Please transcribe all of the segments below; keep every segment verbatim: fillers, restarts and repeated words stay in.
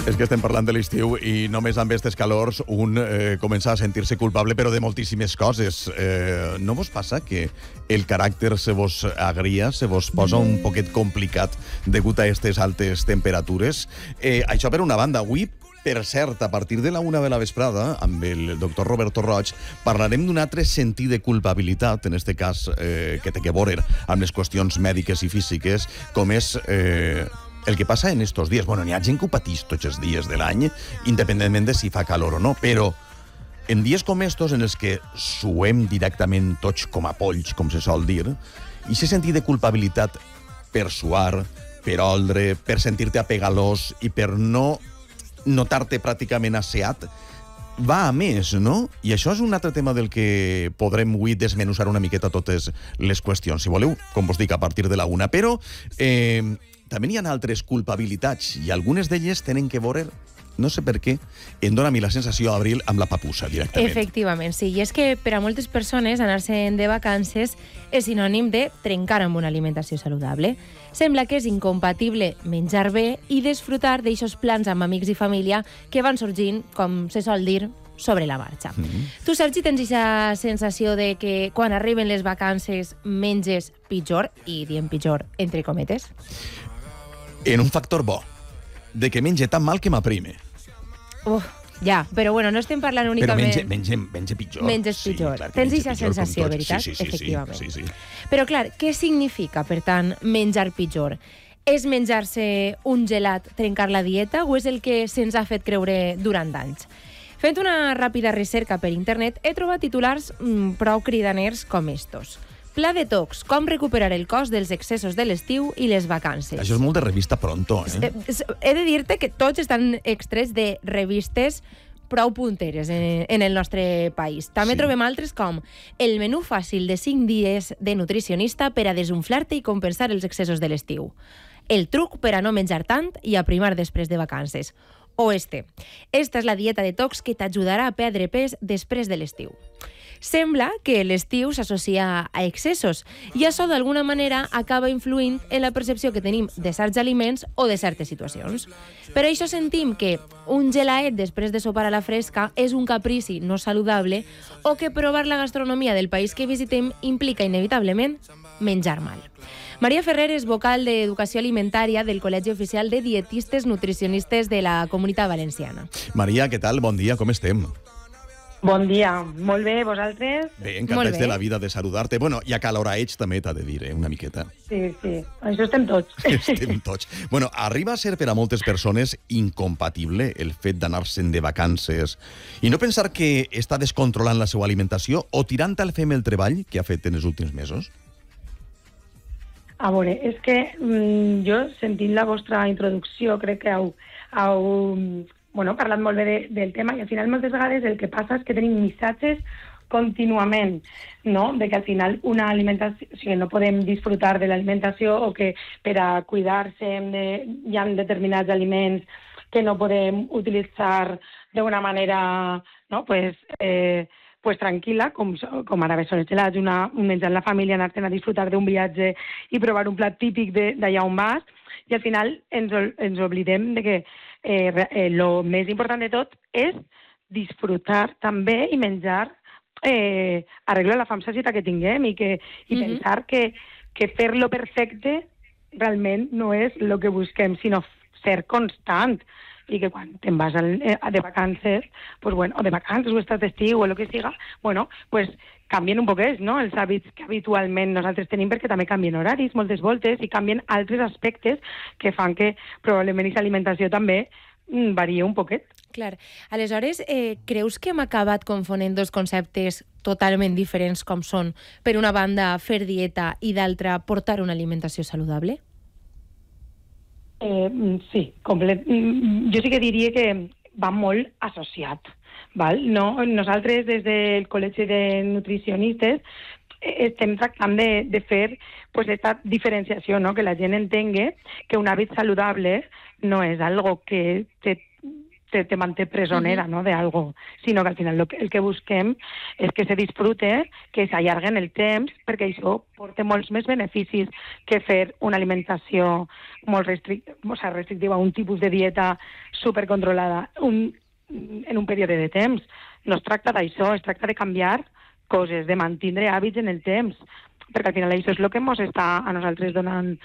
És que estem parlant de l'estiu i només amb aquestes calors un eh, comença a sentir-se culpable, però de moltíssimes coses. Eh, no vos passa que el caràcter se vos agria, se vos posa un poquet complicat degut a aquestes altes temperatures? Eh, això per una banda. Avui, per cert, a partir de la una de la vesprada, amb el doctor Roberto Roig, parlarem d'un altre sentit de culpabilitat, en este cas eh, que té que veure amb les qüestions mèdiques i físiques, com és... Eh, el que passa en estos dies. Bueno, n'hi ha gent que ho patís tots els dies de l'any, independentment de si fa calor o no, però en dies com estos, en els que suem directament tots com a polls, com se sol dir, i se sentit de culpabilitat per suar, per oldre, per sentir-te apegalós i per no notar-te pràcticament asseat, va a més, no? I això és un altre tema del que podrem avui desmenuzar una miqueta totes les qüestions, si voleu, com vos dic, a partir de la una. Però eh, també hi ha altres culpabilitats i algunes d'elles tenen que veure, no sé per què, em dóna a mi la sensació, Abril, amb la papussa, directament. Efectivament, sí. I és que per a moltes persones anar-se'n de vacances és sinònim de trencar amb una alimentació saludable. Sembla que és incompatible menjar bé i disfrutar d'eixos plans amb amics i família que van sorgint, com se sol dir, sobre la marxa. Mm-hmm. Tu, Sergi, tens aquesta sensació de que quan arriben les vacances menges pitjor, i diem pitjor entre cometes? En un factor bo, de que menge tan mal que m'aprime. Uf, ja, però bueno, no estem parlant únicament... Però menge, menge, menge pitjor. Menges pitjor. Sí, clar, tens menge aquesta pitjor sensació, com tots. veritat? Sí, sí, sí, efectivament. sí, sí, sí. Però clar, què significa, per tant, menjar pitjor? És menjar-se un gelat, trencar la dieta, o és el que se'ns ha fet creure durant anys? Fent una ràpida recerca per internet, he trobat titulars mmm, prou cridaners com estos. Pla detox, com recuperar el cos dels excessos de l'estiu i les vacances. Això és molt de revista Pronto, eh? He de dir-te que tots estan extrets de revistes prou punteres en, en el nostre país. També sí. Trobem altres com el menú fàcil de cinc dies de nutricionista per a desunflar-te i compensar els excessos de l'estiu. El truc per a no menjar tant i aprimar després de vacances. O este. Esta és la dieta detox que t'ajudarà a perdre pes després de l'estiu. Sembla que l'estiu s'associa a excessos i això d'alguna manera acaba influint en la percepció que tenim de certs aliments o de certes situacions. Per això sentim que un gelaet després de sopar a la fresca és un caprici no saludable o que provar la gastronomia del país que visitem implica inevitablement menjar mal. Maria Ferrer és vocal d'Educació Alimentària del Col·legi Oficial de Dietistes Nutricionistes de la Comunitat Valenciana. Maria, què tal? Bon dia, com estem? Bon dia, molt bé, vosaltres? Bé, encantats de la vida de saludar-te. Bueno, i acaloraets també t'ha de dir, eh, una miqueta. Sí, sí, això estem tots. Estem tots. Bueno, arriba a ser per a moltes persones incompatible el fet d'anar-se'n de vacances i no pensar que està descontrolant la seva alimentació o tirant al fem el treball que ha fet en els últims mesos? A veure, és que mm, jo, sentint la vostra introducció, crec que heu... heu bueno, parlat molt bé de, del tema i al final moltes vegades el que passa és que tenim missatges contínuament, no? De que al final una alimentació, o sigui, no podem disfrutar de l'alimentació o que per a cuidar-se de, hi ha determinats aliments que no podem utilitzar d'una manera, no? Pues, eh, pues tranquil·la, com, com ara bé són els gelats, una, un menjar en la família, anar-te'n a disfrutar d'un viatge i provar un plat típic d'allà on vas, i al final ens, ens oblidem de que eh, eh, lo més important de tot és disfrutar també i menjar, eh, arreglar la fam sacietat que tinguem i, que, i mm-hmm. pensar que, que fer-lo perfecte realment no és el que busquem, sinó ser constant. I que quan te'n vas al, eh, de vacances, pues bueno, o de vacances o estàs d'estiu o el que siga, bueno, pues canvien un poquet, no?, els hàbits que habitualment nosaltres tenim, perquè també canvien horaris moltes voltes i canvien altres aspectes que fan que probablement aquesta alimentació també mm, varia un poquet. Clar. Aleshores, eh, creus que hem acabat confonent dos conceptes totalment diferents com són, per una banda, fer dieta i d'altra, portar una alimentació saludable? Eh, sí, complet. Jo sí que diria que va molt associat. Val? No, nosaltres, des del Col·legi de Nutricionistes, estem tractant de, de fer pues, aquesta diferenciació, no? Que la gent entengui que un hàbit saludable no és algo que te, te, te manté presonera, uh-huh. no?, de algo, sinó que al final lo que, el que busquem és que se disfrute, que s'allarguen el temps, perquè això porta molts més beneficis que fer una alimentació molt restric- o sea, restrictiva, un tipus de dieta supercontrolada un, en un període de temps. No es tracta d'això, es tracta de canviar coses, de mantindre hàbits en el temps, perquè al final això és el que ens està a nosaltres donant,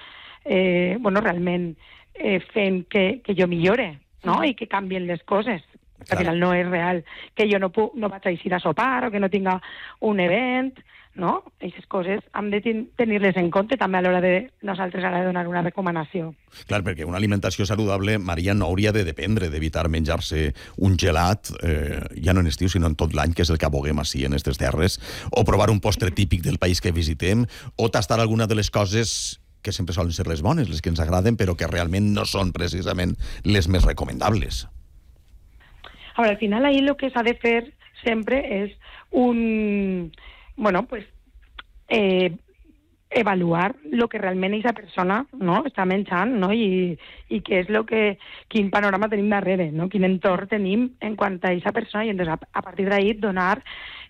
eh, bueno, realment eh, fent que, que jo millore, no? I que canvien les coses. Al final no és real que jo no, puc, no vaig a eixir a sopar o que no tinga un event, no? Aquestes coses hem de tenir-les en compte també a l'hora de nosaltres ara de donar una recomanació. Clar, perquè una alimentació saludable, Maria, no hauria de dependre d'evitar menjar-se un gelat, eh, ja no en estiu, sinó en tot l'any, que és el que aboguem així en aquestes terres, o provar un postre típic del país que visitem, o tastar alguna de les coses que sempre solen ser les bones, les que ens agraden, però que realment no són precisament les més recomendables. A veure, al final ahí lo que s'ha de fer sempre és un... Bueno, pues... Eh, evaluar lo que realment aquesta persona, no?, està menjant, no?, i, i què és lo que, quin panorama tenim darrere, no?, quin entorn tenim en quant a aquesta persona, i entonces, a, a partir d'ahí donar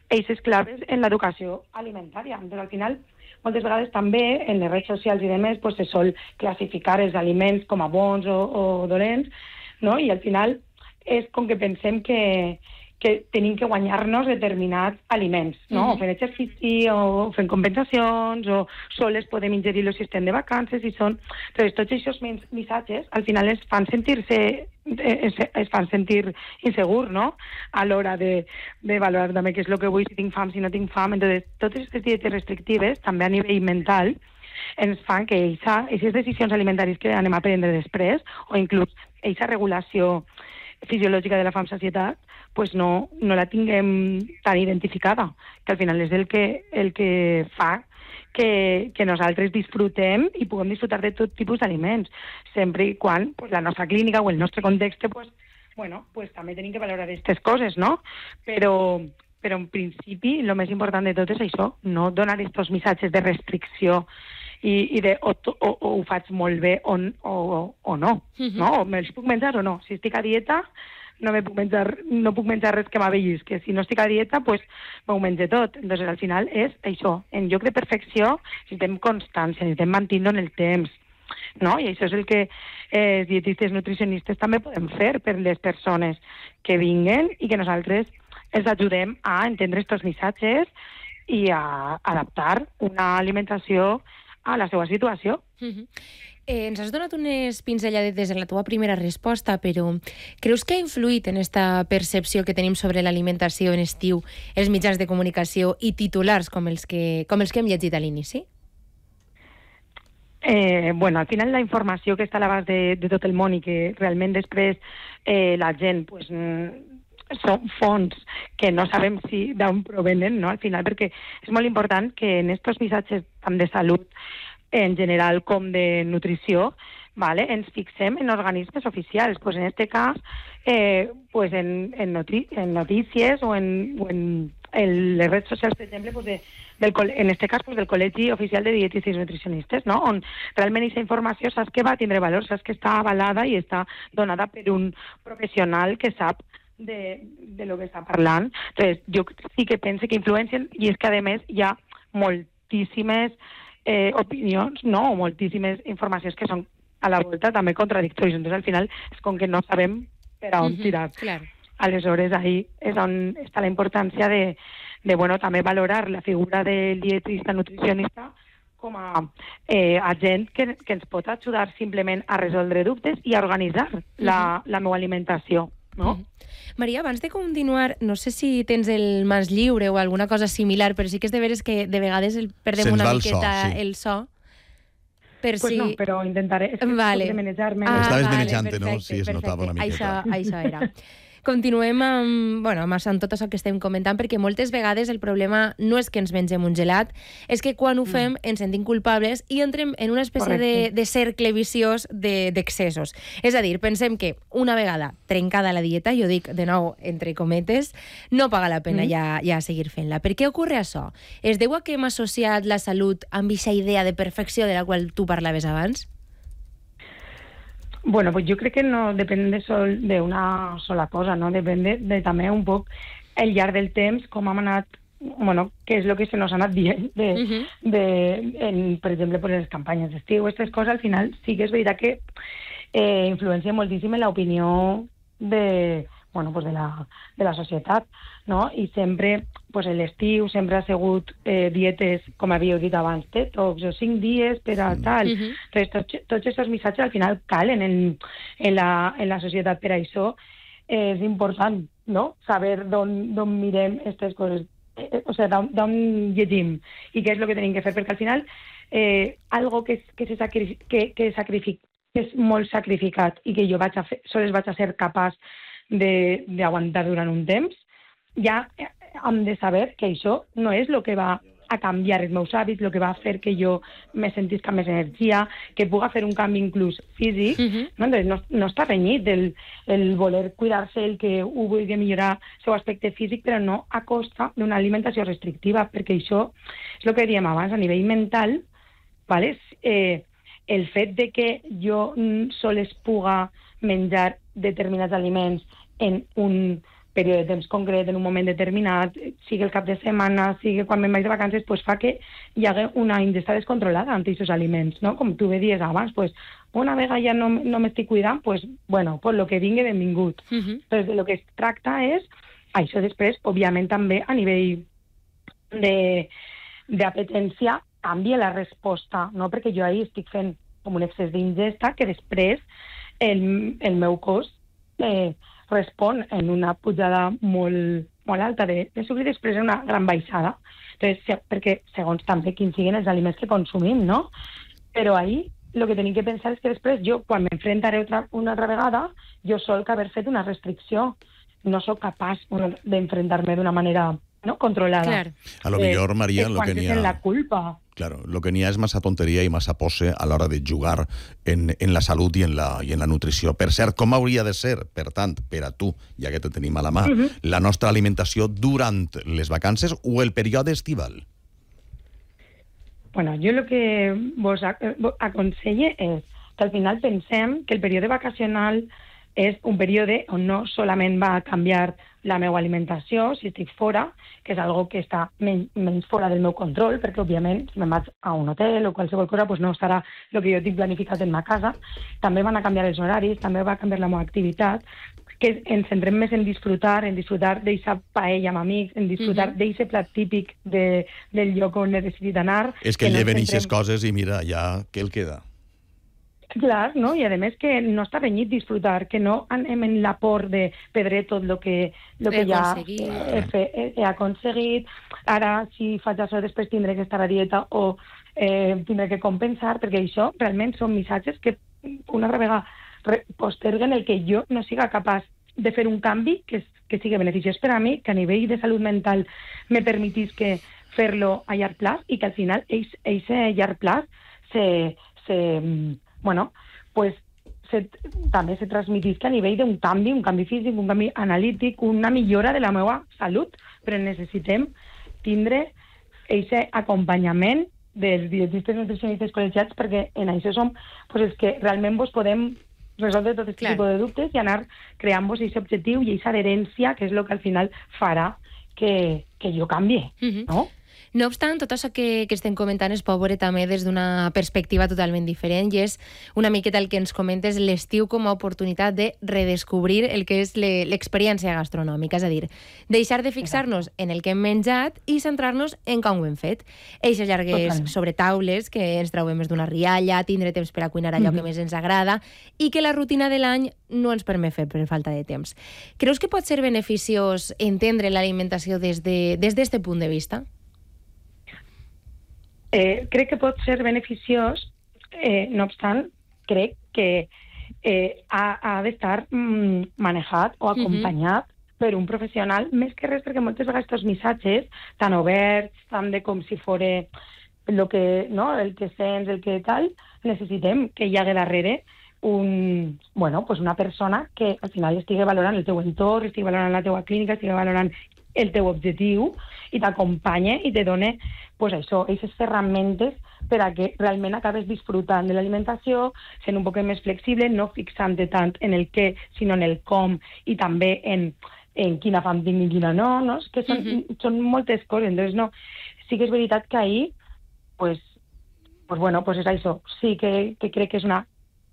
eixes claves en l'educació alimentària. Entonces, al final, moltes vegades també en les redes socials i demés pues, se sol classificar els aliments com a bons o, o dolents, no? I al final és com que pensem que, que tenim que guanyar-nos determinats aliments, no? Mm-hmm. O fent exercici, o fent compensacions, o soles podem ingerir-los si estem de vacances, i són... Entonces, tots aquests missatges al final es fan sentir-se es, es fan sentir insegur, no?, a l'hora de, de valorar també què és el que vull, si tinc fam, si no tinc fam. Entonces, totes aquestes dietes restrictives, també a nivell mental, ens fan que aquestes decisions alimentàries que anem a prendre després, o inclús aquesta regulació fisiològica de la fam-sacietat, pues no, no la tinguem tan identificada, que al final és el que, el que fa que, que nosaltres disfrutem i puguem disfrutar de tot tipus d'aliments, sempre i quan pues, la nostra clínica o el nostre context, pues, bueno, pues, també tenim que valorar aquestes coses, no? Però, però en principi el més important de tot és això, no donar aquests missatges de restricció i, i de o, o, o ho faig molt bé o, o, o no, uh-huh. no? O me'ls puc menjar o no. Si estic a dieta, no me puc menjar, no puc menjar res que m'avellisqui. Si no estic a dieta, pues m'ho menjo tot. Entonces, al final és això. En lloc de perfecció, necessitem constància, necessitem mantenir-lo en el temps, no? I això és el que eh, dietistes nutricionistes també podem fer per les persones que vinguen i que nosaltres els ajudem a entendre aquests missatges i a adaptar una alimentació a la seva situació. Uh-huh. Eh, ens has donat unes pinzelladetes en la teva primera resposta, però creus que ha influït en esta percepció que tenim sobre l'alimentació en estiu els mitjans de comunicació i titulars com els que, com els que hem llegit a l'inici? Eh, bueno, al final la informació que està a l'abast de, de tot el món i que realment després eh, la gent pues, són fonts que no sabem si d'on provenen, no? Al final, perquè és molt important que en aquests missatges tant de salut en general com de nutrició, ¿vale? Ens fixem en organismes oficials. Pues en este cas, eh, pues en, en, noti en notícies o en, o en, en les redes socials, per exemple, pues de, del, en este cas pues del Col·legi Oficial de Dietistes i Nutricionistes, no? On realment aquesta informació saps que va tindre valor, saps que està avalada i està donada per un professional que sap de, de lo que està parlant. Entonces, jo sí que penso que influencien, i és que a més hi ha moltíssimes eh, opinions, no? O moltíssimes informacions que són a la volta també contradictòries. Entonces, al final, és com que no sabem per a on uh-huh, tirar. Claro. Aleshores, ahí és on està la importància de, de bueno, també valorar la figura del dietista nutricionista com a eh, agent que, que ens pot ajudar simplement a resoldre dubtes i a organitzar uh-huh. la, la meva alimentació. No? Uh-huh. Maria, abans de continuar, no sé si tens el mans lliure o alguna cosa similar, però sí que és de veres que de vegades el, perdem Se'ns una va el miqueta so, sí. el so. Per pues si... no, però intentaré. És que vale. de manejar-me. Ah, Estaves vale, manejant, perfecte, no? Sí, es perfecte. notava una miqueta. Això, això era. Continuem amb, bueno, amb, amb tot això que estem comentant, perquè moltes vegades el problema no és que ens mengem un gelat, és que quan ho fem ens sentim culpables i entrem en una espècie de, de cercle viciós d'excessos. De, és a dir, pensem que una vegada trencada la dieta, jo dic de nou entre cometes, no paga la pena mm. ja, ja seguir fent-la. Per què ocorre això? Es deu a que hem associat la salut amb aquesta idea de perfecció de la qual tu parlaves abans? Bueno, pues jo crec que no depèn de sol, d'una sola cosa, no? Depèn de, de també un poc el llarg del temps, com hem anat, bueno, què és el que se nos ha anat dient, de, uh -huh. de, en, per exemple, per les campanyes d'estiu, aquestes coses, al final sí que és veritat que eh, influencia moltíssim en l'opinió de, bueno, pues de, la, de la societat, no? I sempre, pues l'estiu sempre ha sigut eh, dietes, com havíeu dit abans, detox o cinc dies per a tal. Uh -huh. Entonces, tots, tots aquests missatges al final calen en, en, la, en la societat. Per això eh, és important, no?, saber d'on mirem aquestes coses, eh, o sigui, d'on llegim i què és el que tenim que fer, perquè al final eh, algo que, que, se sacrific, que, que, sacrific, que és molt sacrificat i que jo vaig a fer, sols vaig a ser capaç d'aguantar durant un temps, ja hem de saber que això no és el que va a canviar els meus hàbits, el que va a fer que jo me sentisca més energia, que puga fer un canvi inclús físic. Uh-huh. No? Entonces, no, no està renyit el, el voler cuidar-se, el que ho vulgui millorar el seu aspecte físic, però no a costa d'una alimentació restrictiva, perquè això és el que dèiem abans, a nivell mental, ¿vale? eh, el fet de que jo sols puga menjar determinats aliments en un període de temps concret, en un moment determinat, sigui el cap de setmana, sigui quan me'n vaig de vacances, pues fa que hi hagi una ingesta descontrolada amb aquests aliments, no? Com tu bé dies abans, pues, una vegada ja no, no m'estic cuidant, pues, bueno, pues lo que vingui, benvingut. Uh-huh. Però de lo que es tracta és, això després, òbviament també a nivell d'apetència, canvia la resposta, no? Perquè jo ahir estic fent com un excés d'ingesta que després el, el meu cos eh, respon en una pujada molt, molt alta de, de sucre i després en una gran baixada. Entonces, perquè segons també quins siguin els aliments que consumim, no? Però ahir el que tenim que pensar és que després jo, quan m'enfrontaré otra, una altra vegada, jo solc haver fet una restricció. No sóc capaç d'enfrontar-me d'una manera no controlada. Claro. A lo millor, eh, Maria, lo que n'hi ha... la culpa. Claro, lo que n'hi ha és massa tonteria i massa pose a l'hora de jugar en, en la salut i en la, i en la nutrició. Per cert, com hauria de ser, per tant, per a tu, ja que te tenim a la mà, uh-huh. la nostra alimentació durant les vacances o el període estival? Bueno, jo el que vos aconselle és que al final pensem que el període vacacional és un període on no solament va canviar la meva alimentació, si estic fora, que és algo que està menys, menys fora del meu control, perquè, òbviament, si me'n vaig a un hotel o qualsevol cosa, pues no estarà el que jo tinc planificat en ma casa. També van a canviar els horaris, també va canviar la meva activitat, que ens centrem més en disfrutar, en disfrutar d'eixa paella amb amics, en disfrutar uh-huh. d'eixe plat típic de, del lloc on he decidit anar. És que, que lleven eixes centrem... coses i mira, ja, què el queda? Clar, no? I a més que no està renyit disfrutar, que no anem en la por de perdre tot el que, lo que ja he, he, he aconseguit. Ara, si faig això, després tindré que estar a dieta o eh, tindré que compensar, perquè això realment són missatges que una altra vegada posterguen el que jo no siga capaç de fer un canvi que, que sigui beneficiós per a mi, que a nivell de salut mental me permetís que fer-lo a llarg plaç i que al final eixe llarg plaç se... se bueno, pues se, també se transmetisca a nivell d'un canvi, un canvi físic, un canvi analític, una millora de la meva salut, però necessitem tindre aquest acompanyament dels dietistes nutricionistes col·legiats perquè en això som pues, els que realment vos podem resoldre tot aquest claro. tipus de dubtes i anar creant-vos aquest objectiu i aquesta adherència que és el que al final farà que, que jo canvie, uh-huh. no? No obstant, tot això que, que estem comentant es pot veure també des d'una perspectiva totalment diferent i és una miqueta el que ens comentes l'estiu com a oportunitat de redescobrir el que és l'experiència gastronòmica, és a dir, deixar de fixar-nos en el que hem menjat i centrar-nos en com ho hem fet. Eixes llargues Totalment. sobre taules, que ens trobem més d'una rialla, tindre temps per a cuinar allò mm-hmm. que més ens agrada i que la rutina de l'any no ens permet fer per falta de temps. Creus que pot ser beneficiós entendre l'alimentació des de, des d'este punt de vista? Eh, crec que pot ser beneficiós, eh, no obstant, crec que eh, ha, ha d'estar mm, manejat o acompanyat uh-huh. per un professional, més que res perquè moltes vegades aquests missatges tan oberts, tan de com si fos el que, no, el que sents, el que tal, necessitem que hi hagi darrere un, bueno, pues una persona que al final estigui valorant el teu entorn, estigui valorant la teua clínica, estigui valorant el teu objectiu i t'acompanya i te dona pues això, aquestes ferramentes per a que realment acabes disfrutant de l'alimentació, sent un poc més flexible, no fixant-te tant en el què, sinó en el com, i també en, en quina fam tinc i quina no, no? És que són, uh-huh. són moltes coses. Entonces, no, sí que és veritat que ahir, pues, pues bueno, pues és això. Sí que, que crec que és una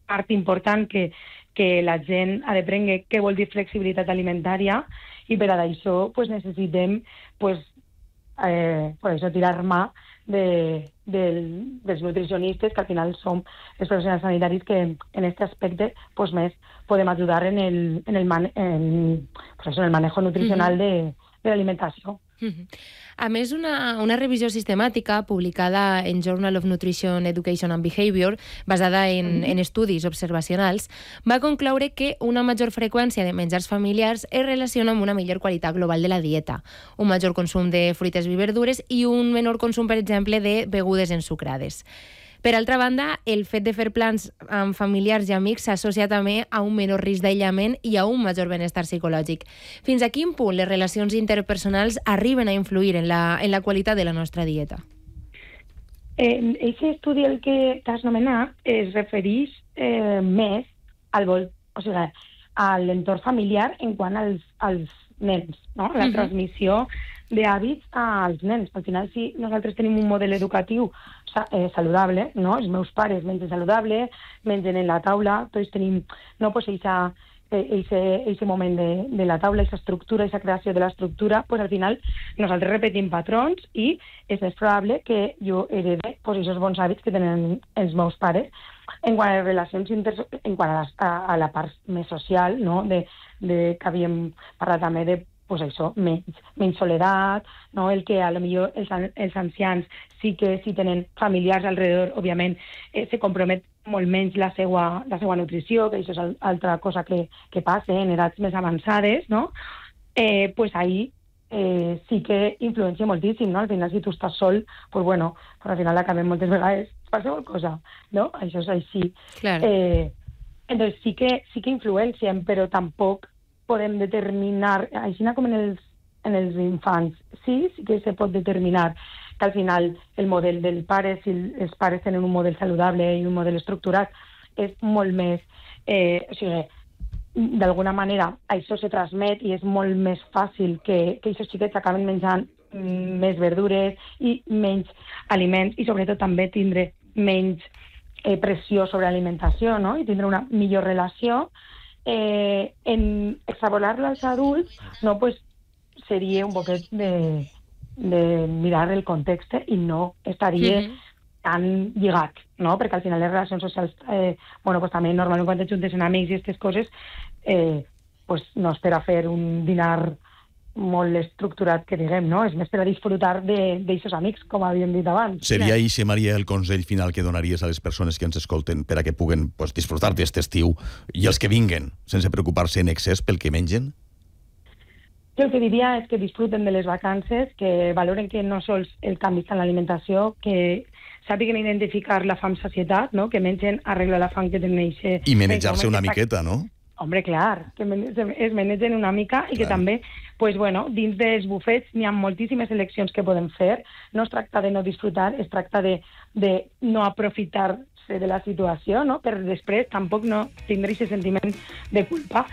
part important que, que la gent ha de prendre què vol dir flexibilitat alimentària, i per a això pues, necessitem pues, eh, pues això, tirar mà de, del, dels nutricionistes, que al final som els professionals sanitaris que en aquest aspecte pues, més podem ajudar en el, en el, man, en, pues això, en el manejo nutricional uh-huh. de, de l'alimentació. Uh-huh. A més, una, una revisió sistemàtica publicada en Journal of Nutrition, Education and Behavior, basada en, uh-huh. en estudis observacionals, va concloure que una major freqüència de menjars familiars es relaciona amb una millor qualitat global de la dieta, un major consum de fruites i verdures i un menor consum, per exemple, de begudes ensucrades. Per altra banda, el fet de fer plans amb familiars i amics s'associa també a un menor risc d'aïllament i a un major benestar psicològic. Fins a quin punt les relacions interpersonals arriben a influir en la, en la qualitat de la nostra dieta? Eh, aquest estudi, el que t'has nomenat, es refereix eh, més al vol, o sigui, a l'entorn familiar en quant als, als nens, no? La uh-huh. transmissió d'hàbits als nens. Al final, si nosaltres tenim un model educatiu eh, saludable, no? Els meus pares mengen saludable, mengen en la taula, tots tenim, no, pues, eixa, eixe moment de, de la taula, eixa estructura, eixa creació de l'estructura, pues, al final nosaltres repetim patrons i és més probable que jo herede pues, aquests bons hàbits que tenen els meus pares. En quant a les relacions inter... en quant a, les, a, a la part més social, no? de, de, que havíem parlat també de pues això, menys, menys soledat, no? El que a lo millor els, els ancians sí que si tenen familiars alrededor, òbviament, eh, se compromet molt menys la seva, la seva nutrició, que això és altra cosa que, que passa en edats més avançades, no? Eh, pues ahí eh, sí que influencia moltíssim, no? Al final, si tu estàs sol, pues bueno, pues al final acabem moltes vegades qualsevol cosa, no? Això és així. Claro. Eh, entonces sí que, sí que influencien, però tampoc podem determinar, així com en els, en els infants, sí, sí que se pot determinar que al final el model del pare, si els pares tenen un model saludable i un model estructurat, és molt més, eh, o sigui, d'alguna manera això se transmet i és molt més fàcil que, que aquests xiquets acaben menjant més verdures i menys aliments i sobretot també tindre menys eh, pressió sobre l'alimentació, no? I tindre una millor relació. Eh, en extrapolar-lo als adults, no, pues, seria un poquet de, de mirar el context i no estaria mm-hmm. tan lligat, no? Perquè al final les relacions socials, eh, bueno, pues també normalment quan te juntes en amics i aquestes coses, eh, pues no és per a fer un dinar molt estructurat, que diguem, no? És més per a disfrutar d'aquests amics, com havíem dit abans. Seria això, Maria, el consell final que donaries a les persones que ens escolten per a que puguen pues, disfrutar d'aquest estiu i els que vinguen, sense preocupar-se en excés pel que mengen? Jo el que diria és que disfruten de les vacances, que valoren que no sols el canvi està en l'alimentació, que sàpiguen identificar la fam-sacietat, no? Que mengen arregla la fam que tenen. I manejar-se una miqueta, no? Hombre, clar, que es manegen una mica i que clar. També, pues, bueno, dins dels bufets n'hi ha moltíssimes eleccions que podem fer. No es tracta de no disfrutar, es tracta de, de no aprofitar-se de la situació, no? Per després tampoc no tindre aquest sentiment de culpa.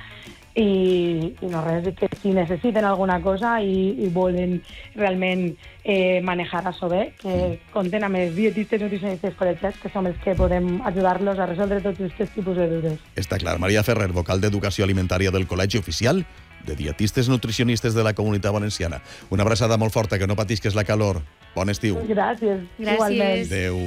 I, i no res, que si necessiten alguna cosa i, i volen realment eh, manejar això bé, que compten amb els dietistes nutricionistes col·legiats, que som els que podem ajudar-los a resoldre tots aquests tipus de dubtes. Està clar. Maria Ferrer, vocal d'Educació Alimentària del Col·legi Oficial de Dietistes Nutricionistes de la Comunitat Valenciana. Una abraçada molt forta, que no patisques la calor. Bon estiu. Gràcies. Gràcies. Igualment. Adéu.